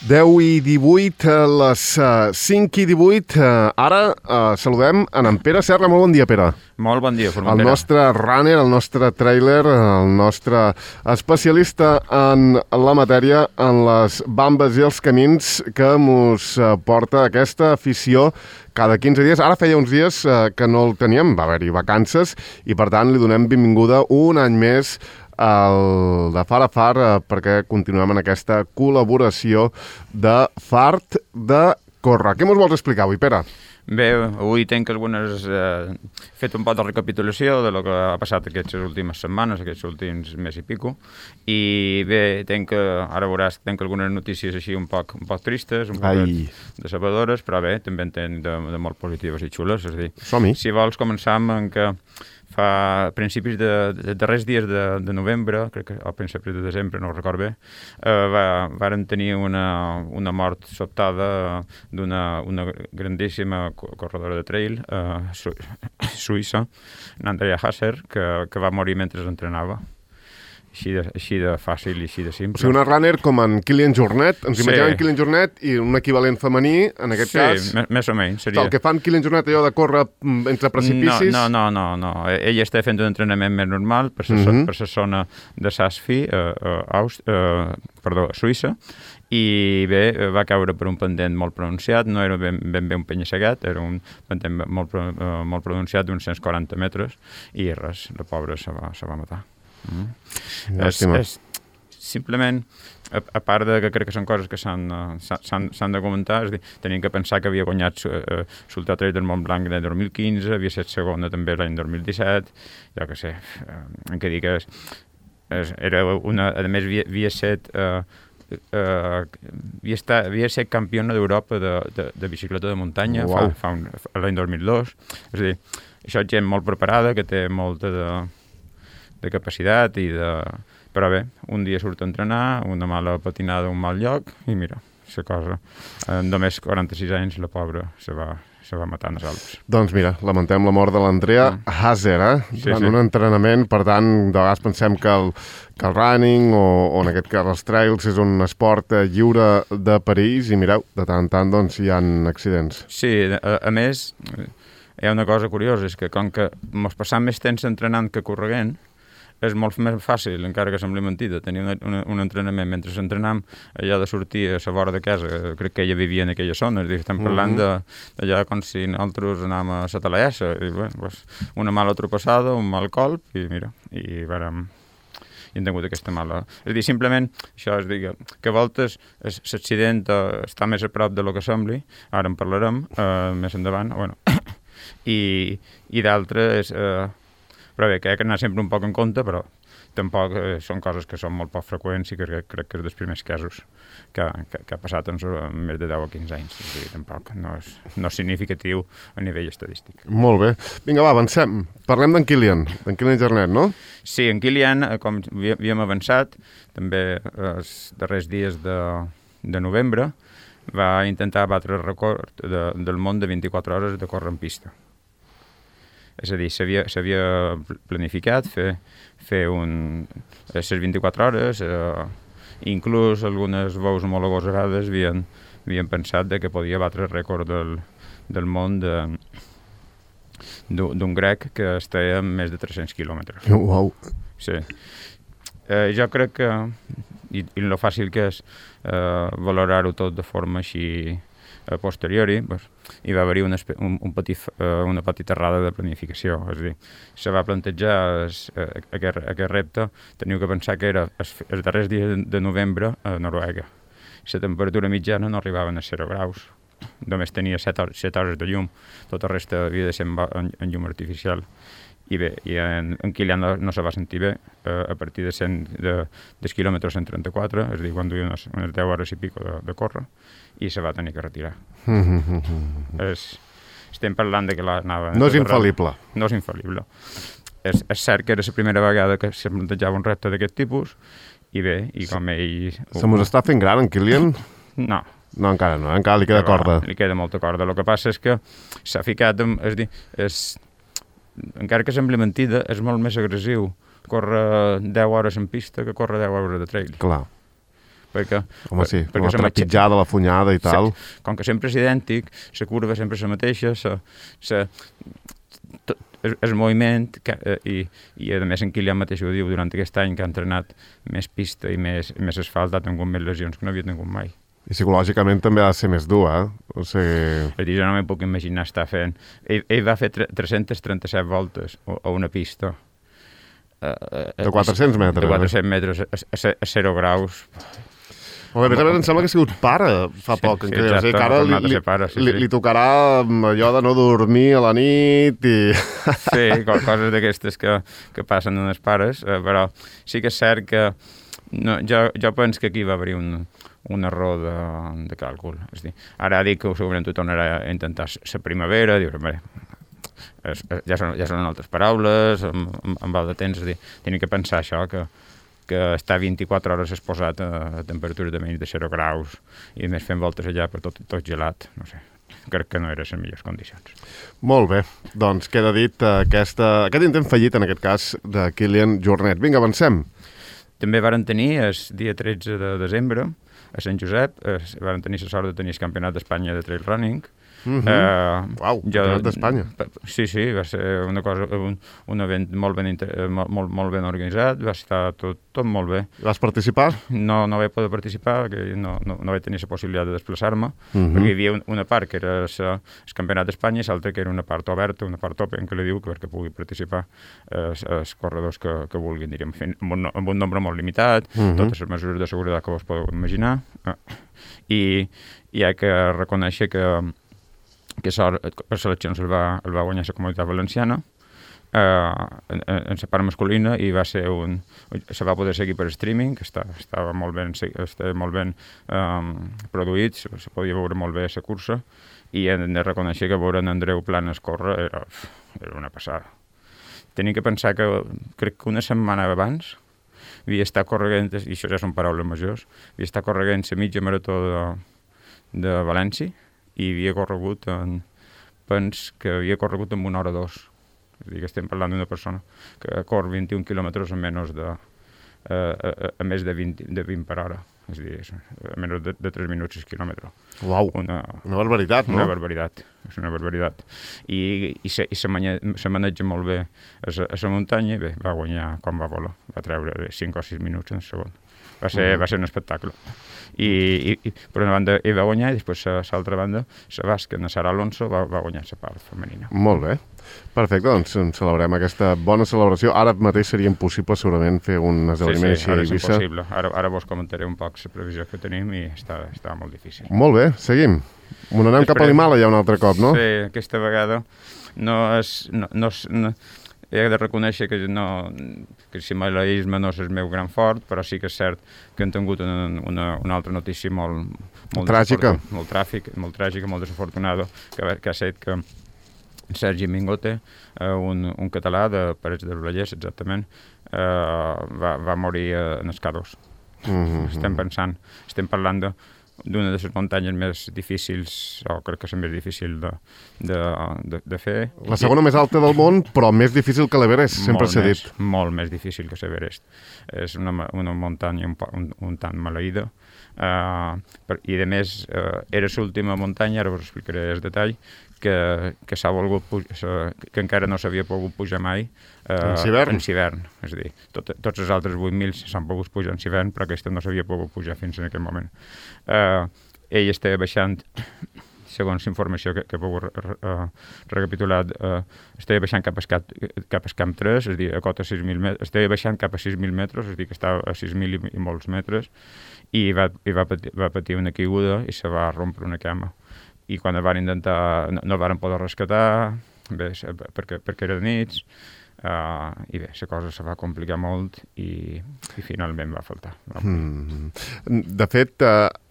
10 i 18, a les 5 i 18. Ara saludem en Pere Serra. Molt bon dia, Pere. Molt bon dia, Formentera. El nostre runner, el nostre trailer, el nostre especialista en la matèria, en les bambes i els camins que mos porta aquesta afició cada 15 dies. Ara feia uns dies que no el teníem, va haver-hi vacances, i per tant li donem benvinguda un any més el de Far a Far, perquè continuem en aquesta col·laboració de Fart de Córrer. Què mos vols explicar avui, Pere? Bé, avui tenc fet un poc de recapitulació de lo que ha passat aquestes últimes setmanes, aquests últims mes i pico, i bé, ara veuràs, tenc algunes notícies així un poc tristes, un poc decebedores, però bé, també en tenc de molt positives i xules. És a dir, som-hi. Si vols, començam en que fa principis de darrers dies de novembre, crec que al principi de desembre, no ho record bé, varen tenir una mort sobtada d'una grandíssima corredora de trail suïssa, Andrea Hasser, que va morir mentre entrenava. Així de fàcil i així de simple. O sigui, una runner com en Kilian Jornet. Ens imaginem en Kilian Jornet i un equivalent femení, en aquest cas. Sí, més o menys. Seria... El que fan Kilian Jornet, allò de córrer entre precipicis... No. Ella està fent un entrenament més normal per la zona de Saas-Fee, Suïssa, i bé, va caure per un pendent molt pronunciat, no era ben bé un penya-segat, era un pendent molt pronunciat d'uns 140 metres, i res, la pobra se va matar. Simplement, a part de que crec que són coses que s'han de comentar, és a dir, tenim que pensar que havia guanyat l'Ultra Trail del Mont Blanc l'any 2015, havia estat segona també l'any 2017, jo què sé, en què dir que era una, a més havia estat campiona d'Europa de bicicleta de muntanya l'any 2002, és a dir, això és gent molt preparada, que té molta de capacitat però bé, un dia surt a entrenar, una mala patinada, un mal lloc, i mira, la cosa, en només 46 anys la pobra se va matar en els Alps. Doncs mira, lamentem la mort de l'Andrea Hasser, durant un entrenament. Per tant, de vegades pensem que el running o en aquest cas els trails és un esport lliure de perills, i mireu, de tant en tant doncs, hi ha accidents. Sí, a més, hi ha una cosa curiosa, és que com que ens passam més temps entrenant que corregent, és molt més fàcil, encara que sembli mentida, tenir un entrenament mentre entrenam, allà de sortir a la vora de casa, crec que ella vivia en aquella zona, és a dir, estem parlant d'allà com si nosaltres anàvem a la Talaessa, i bé, una mala tropassada, un mal colp, i mira, i hem tingut aquesta mala... És a dir, simplement, això és dir, que a voltes l'accident està més a prop de lo que sembli, ara en parlarem més endavant, bueno, i d'altres... Però bé, que hi ha d'anar sempre un poc en compte, però tampoc són coses que són molt poc freqüents i que crec que és dels primers casos que ha passat en més de 10 o 15 anys. És a dir, tampoc no és significatiu a nivell estadístic. Molt bé. Vinga, va, avancem. Parlem d'en Kilian Jornet, no? Sí, en Kilian, com havíem avançat, també els darrers dies de novembre, va intentar batre el record del món de 24 hores de córrer en pista. És a dir, s'havia planificat fer les 24 hores, inclús algunes veus molt agosarades havien pensat que podia batre el rècord del món d'un grec que estava a més de 300 quilòmetres. Uau! Sí. Jo crec que, i el fàcil que és valorar-ho tot de forma així a posteriori, hi va haver-hi una petita errada de planificació. És a dir, se va plantejar aquest repte, teniu que pensar que era els darrers dies de novembre a Noruega. La temperatura mitjana no arribava a 0 graus, només tenia 7 hores de llum, tota la resta havia de ser en llum artificial. I bé, en Kilian no se va sentir bé a partir dels quilòmetres 134, és a dir, quan duia unes 10 hores i pico de córrer, i se va tenir que retirar. Estem parlant que l'anava... No és infal·lible. No és infal·lible. És cert que era la primera vegada que se plantejava un repte d'aquest tipus, i bé, i com ell... Se mos està fent gran, en Kilian? No. No, encara no, encara li queda corda. Li queda molta corda. El que passa és que s'ha ficat... encara que sembli mentida, és molt més agressiu córrer 10 hores en pista que córrer 10 hores de trail. Clar. perquè... Home, sí, la trepitjada, la funyada i tal. Com que sempre és idèntic, la curva sempre és la mateixa, el moviment, i a més en Kilian mateix ho diu, durant aquest any que ha entrenat més pista i més asfalt, ha tingut més lesions que no havia tingut mai. I psicològicament també ha de ser més dur, O sigui... Jo no m'hi puc imaginar estar fent... Ell va fer 337 voltes a una pista. De 400 metres. De 400 metres a 0 graus. A més, em sembla que ha sigut pare fa poc. Sí, exacte, ara li tocarà allò de no dormir a la nit i... Sí, coses d'aquestes que passen en els pares, però sí que és cert que jo penso que aquí va haver un error de càlcul. És dir, ara dic que segurament ho tornarà a intentar la primavera, dius, ja són altres paraules, amb val de temps, és dir, tenim que pensar això, que està 24 hores exposat a temperatures de menys de 0 graus i més fent voltes allà per tot gelat, no sé. Crec que no eren les millors condicions. Molt bé, doncs queda dit aquest intent fallit, en aquest cas, de Kilian Jornet. Vinga, avancem. També varen tenir, el dia 13 de desembre, a Sant Josep, varen tenir la sort de tenir el Campionat d'Espanya de Trail Running. Uau, Campionat d'Espanya. Sí, va ser una cosa, un event molt ben organitzat, va estar tot molt bé. Vas participar? No vaig poder participar, perquè no vaig tenir la possibilitat de desplaçar-me, perquè hi havia una part que era el Campionat d'Espanya i l'altra que era una part oberta, una part open, que li diu, perquè pugui participar els corredors que vulguin, diríem, amb un nombre molt limitat, totes les mesures de seguretat que vos podeu imaginar, i hi ha que reconèixer que per seleccions el va guanyar la Comunitat Valenciana en la part masculina i se va poder seguir per streaming, que estava molt ben produït, se podia veure molt bé la cursa, i hem de reconèixer que veure en Andreu Planes córrer era una passada. Tenim que pensar que crec que una setmana abans havia estat corregent, i això ja són paraules majors, havia estat corregent la mitja marató de València, i havia corregut en 1 hora 2. És a dir, que estem parlant d'una persona que corre 21 quilòmetres a menys a més de 20 per hora. És a dir, a menys de 3 minuts al quilòmetre. Uau, una barbaritat, no? Una barbaritat, és una barbaritat. I se maneja molt bé a la muntanya, i bé, va guanyar quan va voler. Va treure 5 o 6 minuts en segon. Va ser un espectacle. I per una banda ell va guanyar, i després a l'altra banda la basca, na Sara Alonso, va guanyar la part femenina. Molt bé. Perfecte, doncs celebrem aquesta bona celebració. Ara mateix seria impossible segurament fer un esdeveniment així a Eivissa. Sí, ara és impossible. Ara vos comentaré un poc la previsió que tenim i està molt difícil. Molt bé, seguim. Anem cap a l'Himàlaia un altre cop, no? Sí, aquesta vegada he de reconèixer que el himalaisme no és el meu gran fort, però sí que és cert que hem tingut una altra notícia molt tràgica, molt tràgica, molt desafortunada, que ha estat que Sergi Mingote, un català de Parets del Vallès, exactament, va morir en el K2. Estem parlant d'una de les muntanyes més difícils, o crec que és la més difícil de fer. La segona més alta del món, però més difícil que l'Everest, sempre s'ha dit. Molt més difícil que l'Everest. És una muntanya un tant maleïda, i a més era l'última muntanya, ara us explicaré el detall, que s'ha volgut que encara no s'havia pogut pujar mai en hivern. És a dir, tots els altres 8.000 s'han pogut pujar en hivern, però aquesta no s'havia pogut pujar fins en aquest moment. Ell estava baixant, segons informació que he pogut recapitular, estava baixant cap al Camp 3, és a dir, a cota 6.000 metres, estava baixant cap a 6.000 metres, és a dir, que estava a 6.000 i molts metres, i va patir una caiguda i se va rompre una cama. I quan el van intentar, no el van poder rescatar, bé, perquè era de nits, i bé, la cosa se va complicar molt i finalment va faltar. De fet,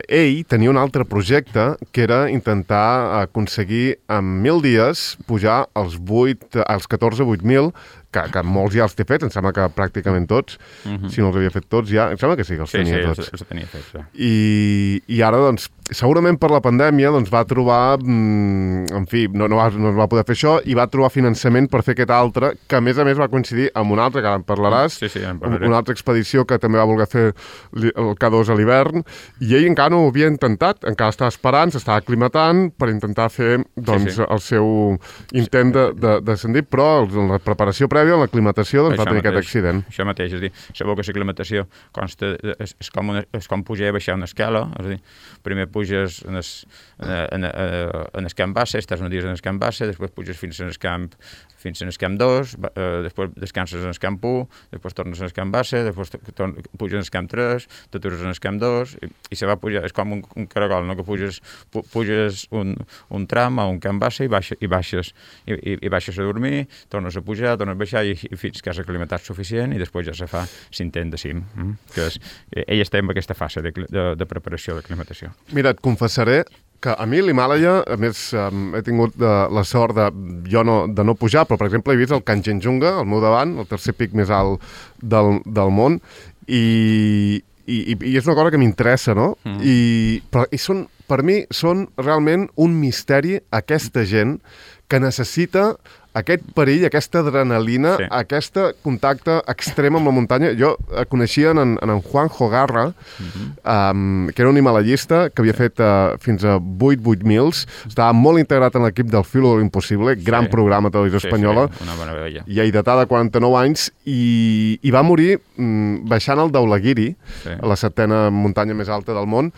ell tenia un altre projecte que era intentar aconseguir en 1.000 dies pujar als 14 8.000 que molts ja els té fets, em sembla que pràcticament tots, si no els havia fet tots ja, em sembla que sí, que els tenia tots. Sí, els tenia fets, ja. I ara, doncs, segurament per la pandèmia doncs, va trobar, en fi, no va poder fer això, i va trobar finançament per fer aquest altre, que a més va coincidir amb un altre, que ara en parlaràs, una altra expedició que també va voler fer el K2 a l'hivern, i ell encara no ho havia intentat, encara estava esperant, s'estava aclimatant per intentar fer doncs, el seu intent d'ascendir, però en la preparació prèvia, en l'aclimatació, doncs, va tenir aquest accident. Això mateix, és a dir, sabeu que l'aclimatació consta, és com pujar i baixar una escala, és a dir, primer puges en el camp base, estàs uns dies en el camp base, després puges fins en el camp 2, després descanses en el camp 1, després tornes en el camp base, després puges en el camp 3, t'atures en el camp 2, i se va pujar, és com un caragol, no? Que puges un tram a un camp base i baixes a dormir, tornes a pujar, tornes a baixar, i fins que has aclimatat suficient, i després ja se fa l'intent de cim. Ell està en aquesta fase de preparació d'aclimatació. Mira, et confessaré que a mi l'Himàlaia, a més, he tingut la sort de no pujar, però, per exemple, he vist el Kanchenjunga, al meu davant, el tercer pic més alt del món, i és una cosa que m'interessa, no? Per mi són realment un misteri aquesta gent que necessita aquest perill, aquesta adrenalina, aquest contacte extrem amb la muntanya. Jo coneixia en Juanjo Garra, que era un himalaiista que havia fet fins a 8.000, estava molt integrat en l'equip del Filo de l'Impossible, gran programa de televisió espanyola, lleidatà de 49 anys, i va morir baixant el Dhaulagiri, la 7ª muntanya més alta del món,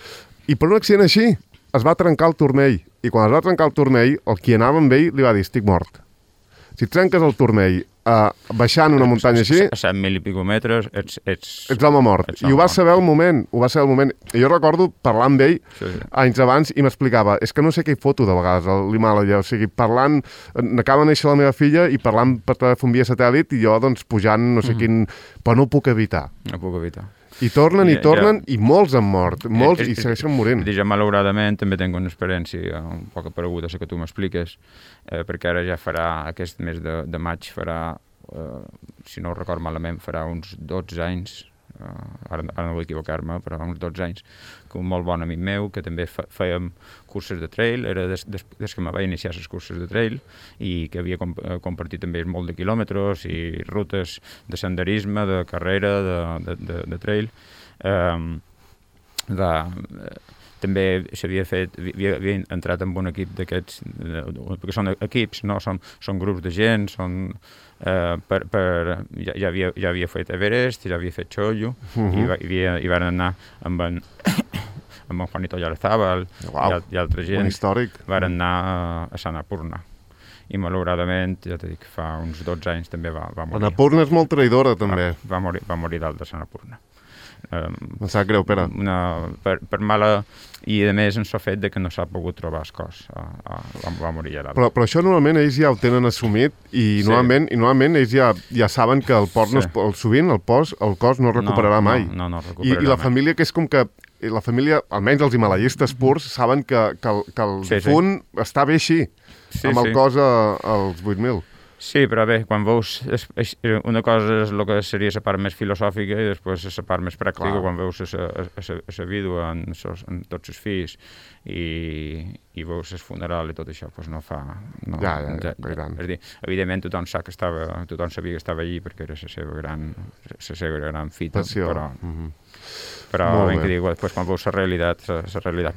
i per un accident així es va trencar el turmell, i quan es va trencar el turmell, el qui anava amb ell li va dir: estic mort. Si et trenques el turmell baixant una muntanya així... A 7.000 i pico metres, ets l'home mort. I ho va saber al moment, I jo recordo parlar amb ell anys abans i m'explicava, és que no sé què hi foto de vegades a l'Himàlaia, o sigui, parlant, acaba de néixer la meva filla i parlant per telèfon via satèl·lit i jo, doncs, pujant no sé quin... Però no ho puc evitar. No puc evitar. I tornen, i molts han mort, molts, i segueixen morint. Jo, malauradament, també tinc una experiència un poc apareguda, la que tu m'expliques, perquè ara ja farà, aquest mes de maig farà, si no ho record malament, farà uns 12 anys, ara no vull equivocar-me, però uns 12 anys, que un molt bon amic meu, que també fèiem curses de trail, era des que me vaig iniciar les curses de trail, i que havia compartit també molt de quilòmetres i rutes de senderisme, de carrera, de trail. També havia entrat en un equip d'aquests, perquè són equips, no? Són grups de gent, ja havia fet Everest, ja havia fet Choyu, i van anar amb en Juanito Yarzábal i altra gent, van anar a Sant Apurna. I malauradament, ja t'he dit que fa uns 12 anys també va morir. Annapurna és molt traïdora, també. Va morir dalt de Sant Apurna. Em sap greu, Pere. Per mala... I, a més, ens ha fet que no s'ha pogut trobar el cos. Va morir ja dalt. Però això normalment ells ja ho tenen assumit i normalment ells ja saben que sovint el cos no es recuperarà mai. No recuperarà mai. I la família, que és com que la família, almenys els himalaiistes purs, saben que el difunt està bé així, amb el cos als 8.000. Sí, però bé, quan veus... Una cosa és el que seria la part més filosòfica i després la part més pràctica, quan veus la vídua en tots els fills i veus el funeral i tot això, doncs no fa... Ja, és dir, evidentment tothom sabia que estava allí perquè era la seva gran fita, però ben que dic, després quan veus la realitat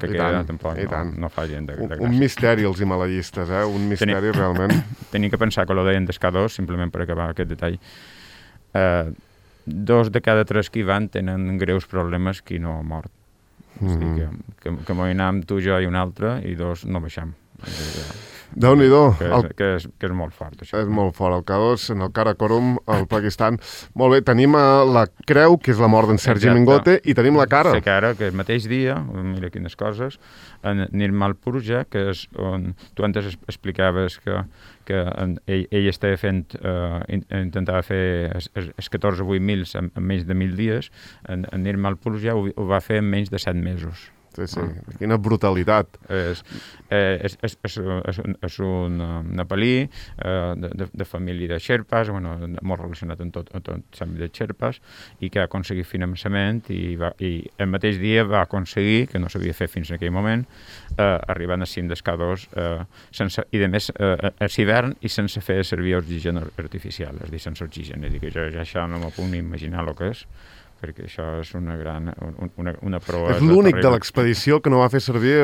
que queda, tampoc no fa gent de gràcia. Un misteri els himalaiistes, un misteri realment. Tenim que pensar que lo deien des K2, simplement per acabar aquest detall. 2 de cada 3 que hi van tenen greus problemes qui no ha mort. És a dir, que m'ho anàvem tu, jo i un altre, i 2 no baixam. Déu-n'hi-do. Que és molt fort, això. És molt fort. El K2, en el Karakorum, al Pakistan. Molt bé, tenim la creu, que és la mort d'en Sergi Mingote, i tenim la cara. La cara, que el mateix dia, mira quines coses, en Nirmal Purja, que és on tu antes explicaves que ell estava fent, intentava fer els 14 o 8.000 en menys de 1.000 dies, en Nirmal Purja ho va fer en menys de 7 mesos. Sí. Quina brutalitat. És un nepalí de família de xerpes, molt relacionat amb tot l'àmbit de xerpes, i que ha aconseguit finançament i el mateix dia va aconseguir, que no s'havia fet fins en aquell moment, arribant a cim d'escadors i a més a l'hivern i sense fer servir oxigen artificial, és a dir, sense oxigen. És a dir, que jo ja això no m'ho puc ni imaginar el que és, perquè això és una proesa. És l'únic de l'expedició que no va fer servir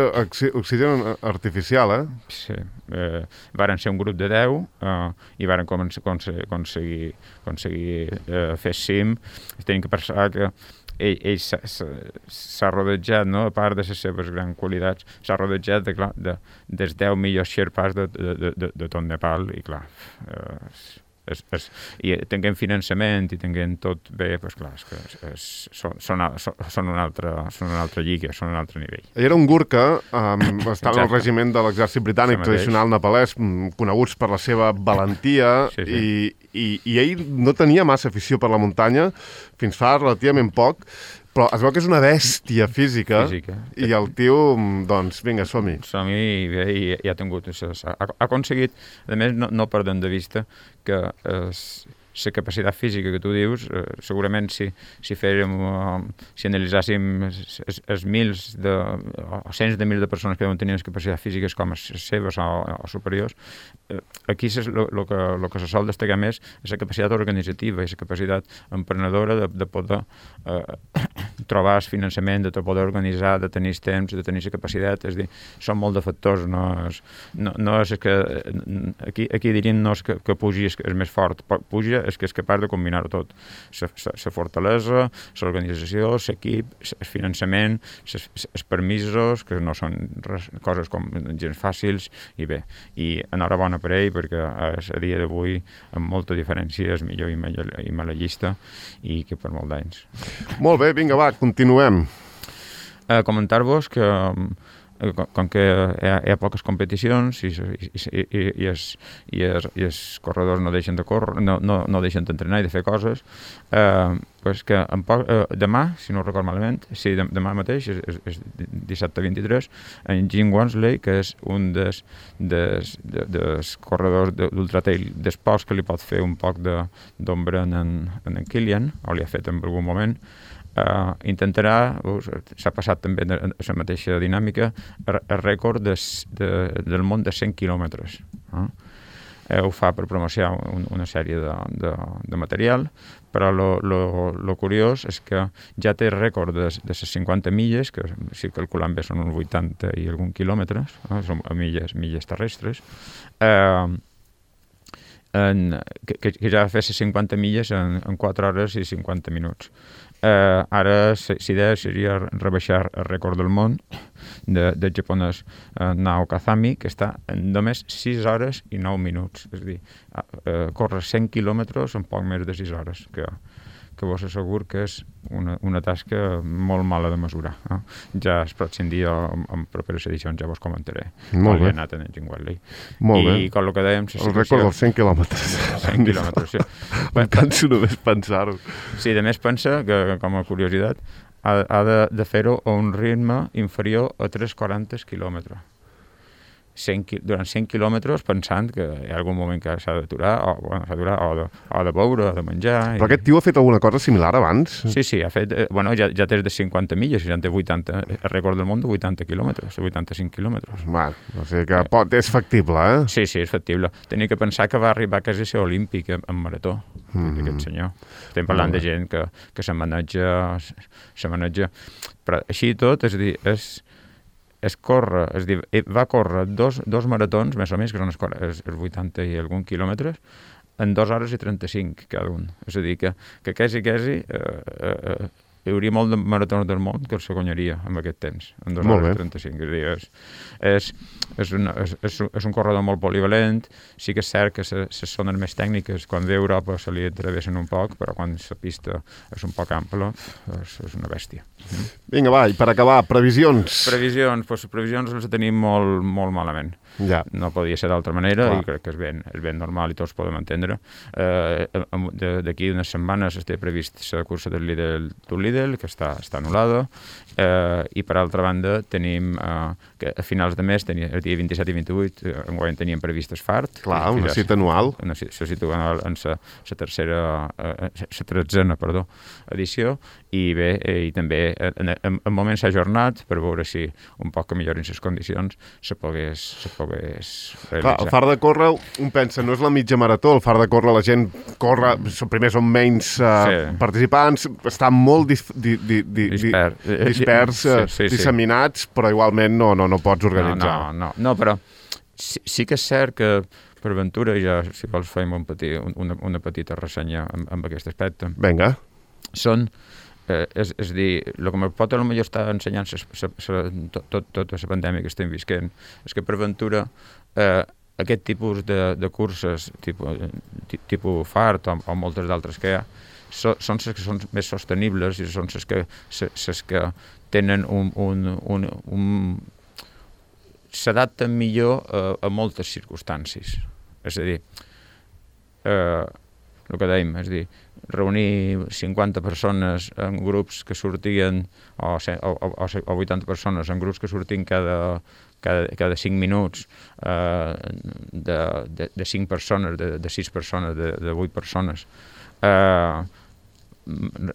oxigen artificial, Sí. Varen ser un grup de 10 i varen aconseguir fer cim. Tenim que pensar que ell s'ha rodejat, no? A part de les seves grans qualitats, s'ha rodejat dels 10 millors xerpes de tot Nepal, i clar, i tinguem finançament i tinguem tot bé, doncs clar, són una altra lliga, són un altre nivell. Era un gurkha, estava al regiment de l'exèrcit britànic tradicional nepalès, coneguts per la seva valentia, i ell no tenia massa afició per la muntanya, fins fa relativament poc, però es veu que és una bèstia física. I el tio, doncs, vinga, som-hi. Som-hi, i ha tingut això. Ha aconseguit, a més, no perdem de vista que la capacitat física que tu dius, segurament si analitzàssim els mils o cents de mils de persones que deuen tenir capacitats físiques com les seves o superiors, aquí el que se sol destacar més és la capacitat organitzativa i la capacitat emprenedora de poder trobar el finançament, de poder organitzar, de tenir temps, de tenir la capacitat. És a dir, són molt de factors. No és que aquí dirien no és que pugi és més fort, puja és que és capaç de combinar-ho tot. La fortalesa, l'organització, l'equip, el finançament, els permisos, que no són coses com gens fàcils, i bé. I enhorabona per ell, perquè a dia d'avui, amb molta diferència, és millor i medallista, i que per molt d'anys. Molt bé, vinga, va, continuem. Comentar-vos que com que hi ha poques competicions i els corredors no deixen de córrer, no deixen d'entrenar i de fer coses, pues que demà, si no ho recordo malament, demà mateix, és dissabte 23, en Jim Wansley, que és un dels corredors d'ultratrail d'esports que li pot fer un poc d'ombra en Kilian, o li ha fet en algun moment, intentarà, s'ha passat també la mateixa dinàmica, el rècord del món de 100 quilòmetres. Ho fa per promocionar una sèrie de material, però el curiós és que ja té rècord de les 50 milles, que si calculant bé són uns 80 i algun quilòmetres, són milles terrestres, que ja va fer les 50 milles en 4 hores i 50 minuts. Ara l'idea seria rebaixar el rècord del món del japonès Nao Kazami, que està en només 6 hores i 9 minuts. És a dir, córrer 100 quilòmetres en poc més de 6 hores, que vos asseguro que és una tasca molt mala de mesurar. Ja el pròxim dia, en properes edicions, ja vos comentaré. Molt bé. He anat en Jim Wansley. Molt bé. I com el que dèiem... El rècord dels 100 quilòmetres. 100 quilòmetres, sí. Em canso només pensar-ho. Sí, a més pensa que, com a curiositat, ha de fer-ho a un ritme inferior a 3,40 quilòmetres. Durant 100 quilòmetres, pensant que hi ha algun moment que s'ha d'aturar, o de beure, o de menjar... Però aquest tio ha fet alguna cosa similar abans? Sí, ha fet... ja té de 50 milles, ja té 80, el rècord del món de 80 quilòmetres, 85 quilòmetres. O sigui que és factible, Sí, és factible. Tenia que pensar que va arribar quasi a ser olímpic en marató, aquest senyor. Estem parlant de gent que se maneja... Però així i tot, és a dir, va córrer dos maratons, més o menys, que són els 80 i algun quilòmetres, en 2 hores i 35 cada un. És a dir, que quasi hi hauria molt de maratons del món que els guanyaria en aquest temps, en 2 hores i 35. És a dir, és un corredor molt polivalent. Sí que és cert que les zones més tècniques, quan ve a Europa, se li travessen un poc, però quan la pista és un poc ampla, és una bèstia. Vinga, va, i per acabar, previsions. Previsions les tenim molt, molt malament. Ja. No podia ser d'altra manera, i crec que és ben normal i tots podem entendre. D'aquí unes setmanes té previst la cursa del líder Lidl, que està anul·lada, i per altra banda tenim que a finals de mes, el dia 27 i 28, enguany teníem previstes FART. Clar, una cita anual. Una cita anual en la 13ª edició, i bé, i també en moments ajornats per veure si un poc que millorin les condicions se pogués realitzar. Clar, el Far de Córrer, un pensa, no és la mitja marató, el Far de Córrer la gent corre, primer són menys participants, estan molt disseminats, però igualment no pots organitzar. No, però sí que és cert que per ventura, ja si vols fem una petita ressenya amb aquest aspecte. Vinga. Són, és dir, el que me pot potser estar ensenyant tota la pandèmia que estem visquent, és que per ventura aquest tipus de curses, tipus FART o moltes d'altres que hi ha, són les que són més sostenibles i són les que tenen s'adapten millor a moltes circumstàncies. És a dir, el que dèiem, és a dir, reunir 50 persones en grups que sortien, o 80 persones en grups que sortien cada 5 minuts, de 5 persones, de 6 persones, de 8 persones,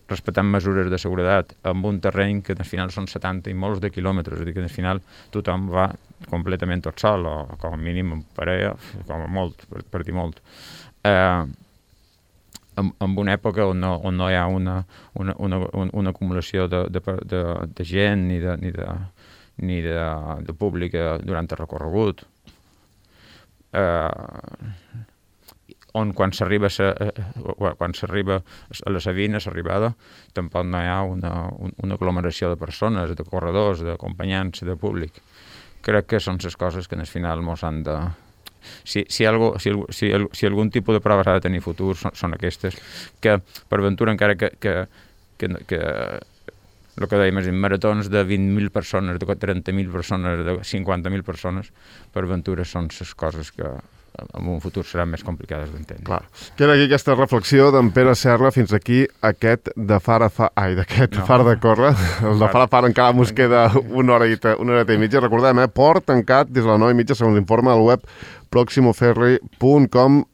respectant mesures de seguretat amb un terreny que al final són 70 i molts de quilòmetres, és a dir, que al final tothom va completament tot sol, o com a mínim en parella, com a molt, per dir molt. En una època on no hi ha una acumulació de gent ni de públic durant el recorregut, on quan s'arriba a la Sabina, l'arribada, tampoc no hi ha una aglomeració de persones, de corredors, d'acompanyants, de públic. Crec que són les coses que al final mos han de... Si algun tipus de proves ha de tenir futur, són aquestes, que per ventura, encara que el que dèiem, maratons de 20.000 persones, de 30.000 persones, de 50.000 persones, per ventura són les coses que en un futur seran més complicades d'entendre. Clar. Queda aquí aquesta reflexió d'en Pere Serra, fins aquí aquest Far de Córrer. El de Far encara mos queda una horeta i mitja. Recordem, port tancat des de les 9:30, segons l'informe al web proximoferri.com.